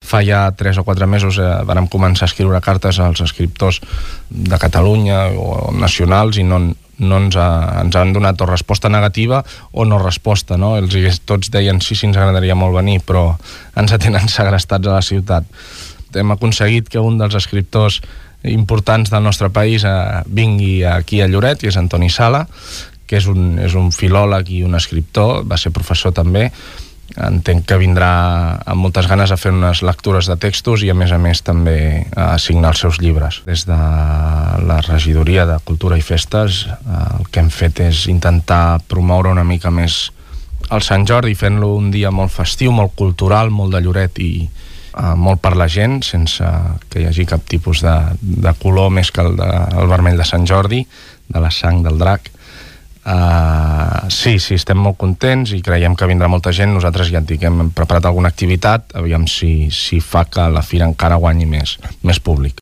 fa ja 3 o 4 mesos vàrem començar a escriure cartes als escriptors de Catalunya o nacionals i no ens han donat o resposta negativa o no resposta, no? Tots deien sí, ens agradaria molt venir, però ens tenen segrestats a la ciutat. Hem aconseguit que un dels escriptors importants del nostre país vingui aquí a Lloret, i és Antoni Sala, que és un filòleg i un escriptor, va ser professor també. Entenc que vindrà amb moltes ganes a fer unes lectures de textos i a més també a signar els seus llibres. Des de la regidoria de Cultura i Festes el que hem fet és intentar promoure una mica més el Sant Jordi, fent-lo un dia molt festiu, molt cultural, molt de Lloret i molt per la gent, sense que hi hagi cap tipus de color més que el vermell de Sant Jordi, de la sang del drac. Sí, estem molt contents i creiem que vindrà molta gent. Nosaltres ja et dic, hem preparat alguna activitat, aviam si fa que la fira encara guanyi més públic.